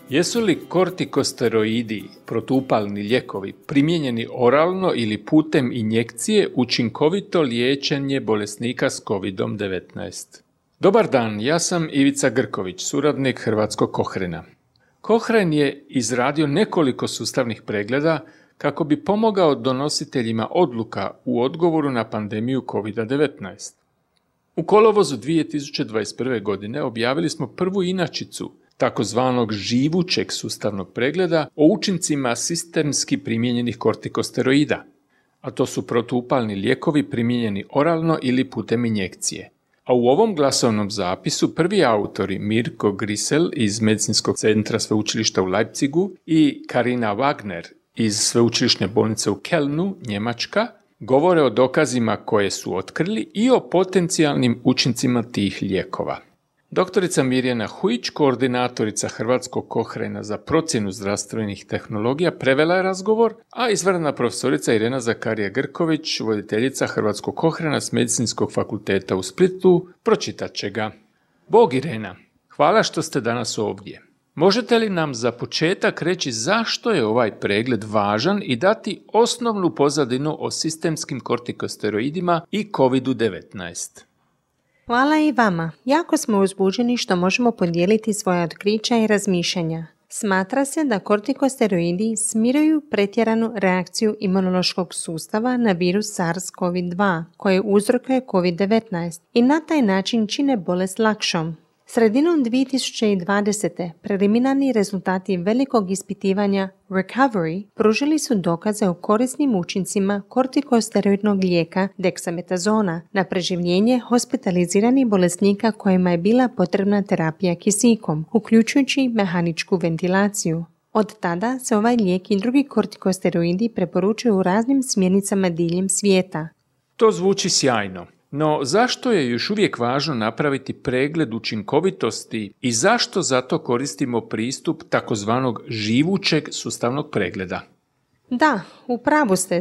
Jesu li kortikosteroidi, protupalni lijekovi, primijenjeni oralno ili putem injekcije učinkovito liječenje bolesnika s COVID-19? Dobar dan, ja sam Ivica Grković, suradnik Hrvatskog Kohrena. Kohren je izradio nekoliko sustavnih pregleda kako bi pomogao donositeljima odluka u odgovoru na pandemiju COVID-19. U kolovozu 2021. godine objavili smo prvu inačicu takozvanog živućeg sustavnog pregleda o učincima sistemski primijenjenih kortikosteroida, a to su protupalni lijekovi primijenjeni oralno ili putem injekcije. A u ovom glasovnom zapisu prvi autori Mirko Grisel iz Medicinskog centra sveučilišta u Leipzigu i Karina Wagner iz sveučilišne bolnice u Kelnu, Njemačka, govore o dokazima koje su otkrili i o potencijalnim učincima tih lijekova. Doktorica Mirjana Hujić, koordinatorica Hrvatskog Kohrena za procjenu zdravstvenih tehnologija, prevela je razgovor, a izvanredna profesorica Irena Zakarija Grković, voditeljica Hrvatskog Kohrena s Medicinskog fakulteta u Splitu, pročitat će ga. Bog Irena, hvala što ste danas ovdje. Možete li nam za početak reći zašto je ovaj pregled važan i dati osnovnu pozadinu o sistemskim kortikosteroidima i COVID-19? Hvala i vama. Jako smo uzbuđeni što možemo podijeliti svoja otkrića i razmišljanja. Smatra se da kortikosteroidi smiruju pretjeranu reakciju imunološkog sustava na virus SARS-CoV-2 koji uzrokuje COVID-19 i na taj način čine bolest lakšom. Sredinom 2020. preliminarni rezultati velikog ispitivanja Recovery pružili su dokaze o korisnim učincima kortikosteroidnog lijeka deksametazona na preživljenje hospitaliziranih bolesnika kojima je bila potrebna terapija kisikom, uključujući mehaničku ventilaciju. Od tada se ovaj lijek i drugi kortikosteroidi preporučuju u raznim smjernicama diljem svijeta. To zvuči sjajno. No zašto je još uvijek važno napraviti pregled učinkovitosti i zašto zato koristimo pristup takozvanog živućeg sustavnog pregleda? Da, u pravu ste.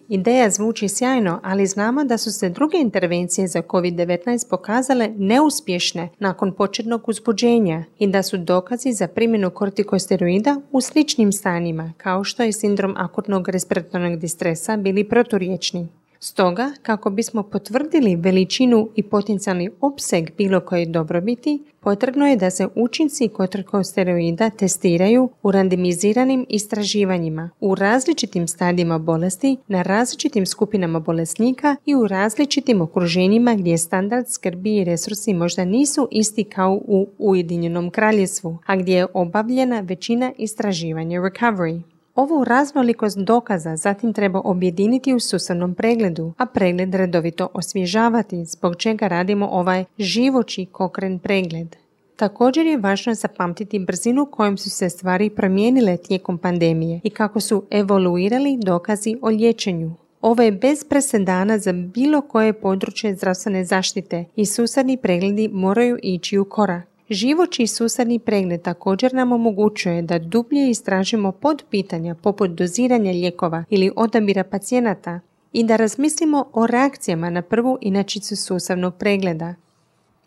Ideja zvuči sjajno, ali znamo da su se druge intervencije za COVID-19 pokazale neuspješne nakon početnog uzbuđenja i da su dokazi za primjenu kortikosteroida u sličnim stanjima, kao što je sindrom akutnog respiratornog distresa, bili proturječni. Stoga, kako bismo potvrdili veličinu i potencijalni opseg bilo koje dobrobiti, potrebno je da se učinci kortikosteroida testiraju u randomiziranim istraživanjima u različitim stadijima bolesti, na različitim skupinama bolesnika i u različitim okruženjima gdje standard skrbi i resursi možda nisu isti kao u Ujedinjenom Kraljevstvu, a gdje je obavljena većina istraživanja Recovery. Ovu raznolikost dokaza zatim treba objediniti u sustavnom pregledu, a pregled redovito osvježavati, zbog čega radimo ovaj živući Cochrane pregled. Također je važno zapamtiti brzinu kojom su se stvari promijenile tijekom pandemije i kako su evoluirali dokazi o liječenju. Ovo je bez presedana za bilo koje područje zdravstvene zaštite i sustavni pregledi moraju ići u korak. Živući sustavni pregled također nam omogućuje da dublje istražimo podpitanja poput doziranja lijekova ili odabira pacijenata i da razmislimo o reakcijama na prvu inačicu sustavnog pregleda.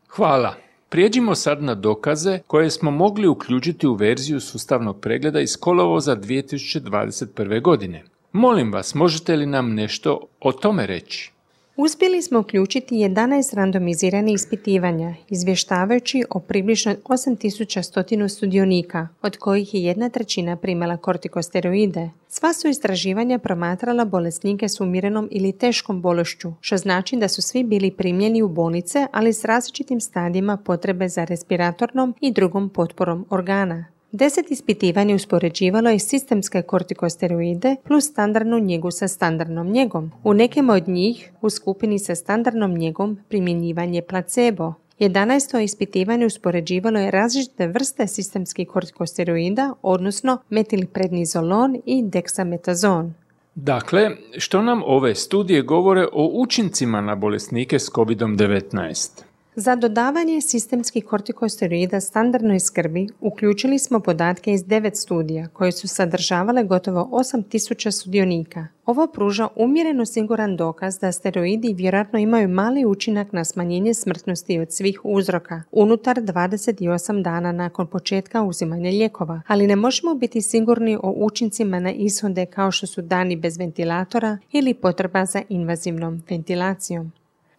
Hvala. Prijeđimo sad na dokaze koje smo mogli uključiti u verziju sustavnog pregleda iz kolovoza 2021. godine. Molim vas, možete li nam nešto o tome reći? Uspjeli smo uključiti 11 randomiziranih ispitivanja, izvještavajući o približno 8100 sudionika, od kojih je 1/3 primala kortikosteroide. Sva su istraživanja promatrala bolesnike s umjerenom ili teškom bolešću, što znači da su svi bili primljeni u bolnice, ali s različitim stadijima potrebe za respiratornom i drugom potporom organa. 10 ispitivanja uspoređivalo je sistemske kortikosteroide plus standardnu njegu sa standardnom njegom. U nekim od njih, u skupini sa standardnom njegom, primjenjivanje placebo. 11. ispitivanje uspoređivalo je različite vrste sistemskih kortikosteroida, odnosno metilprednizolon i deksametazon. Dakle, što nam ove studije govore o učincima na bolesnike s COVID-19? Za dodavanje sistemskih kortikosteroida standardnoj skrbi uključili smo podatke iz 9 studija koje su sadržavale gotovo 8000 sudionika. Ovo pruža umjereno siguran dokaz da steroidi vjerojatno imaju mali učinak na smanjenje smrtnosti od svih uzroka unutar 28 dana nakon početka uzimanja lijekova, ali ne možemo biti sigurni o učincima na ishode kao što su dani bez ventilatora ili potreba za invazivnom ventilacijom.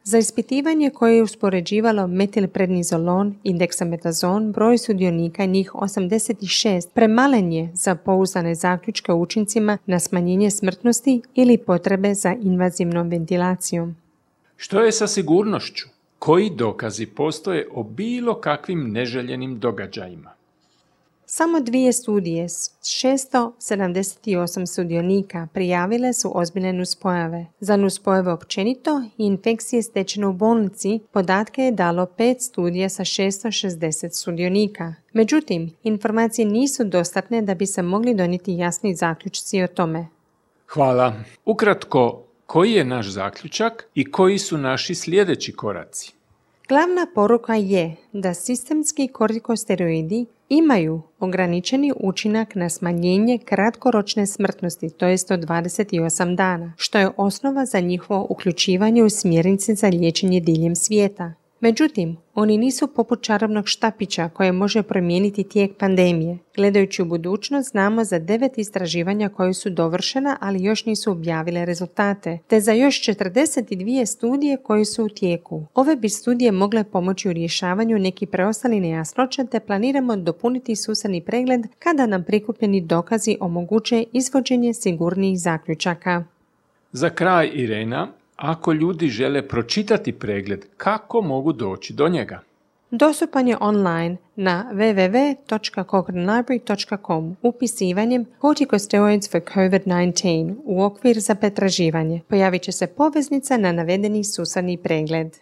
Za ispitivanje koje je uspoređivalo metilprednizolon i deksametazon, broj sudionika, njih 86, premalen je za pouzdane zaključke o učincima na smanjenje smrtnosti ili potrebe za invazivnom ventilacijom. Što je sa sigurnošću? Koji dokazi postoje o bilo kakvim neželjenim događajima? Samo 2 studije s 678 sudionika prijavile su ozbiljne nuspojave. Za nuspojave općenito i infekcije stečene u bolnici podatke je dalo 5 studija sa 660 sudionika. Međutim, informacije nisu dostatne da bi se mogli donijeti jasni zaključci o tome. Hvala. Ukratko, koji je naš zaključak i koji su naši sljedeći koraci? Glavna poruka je da sistemski kortikosteroidi imaju ograničeni učinak na smanjenje kratkoročne smrtnosti, to jest od 28 dana, što je osnova za njihovo uključivanje u smjernice za liječenje diljem svijeta. Međutim, oni nisu poput čarobnog štapića koje može promijeniti tijek pandemije. Gledajući u budućnost, znamo za 9 istraživanja koje su dovršena, ali još nisu objavile rezultate, te za još 42 studije koje su u tijeku. Ove bi studije mogle pomoći u rješavanju nekih preostalih nejasnoća, te planiramo dopuniti sustavni pregled kada nam prikupljeni dokazi omoguće izvođenje sigurnijih zaključaka. Za kraj, Irena, ako ljudi žele pročitati pregled, kako mogu doći do njega? Dostupan je online na www.cochranelibrary.com upisivanjem Corticosteroids for COVID-19 u okvir za pretraživanje. Pojavit će se poveznica na navedeni sustavni pregled.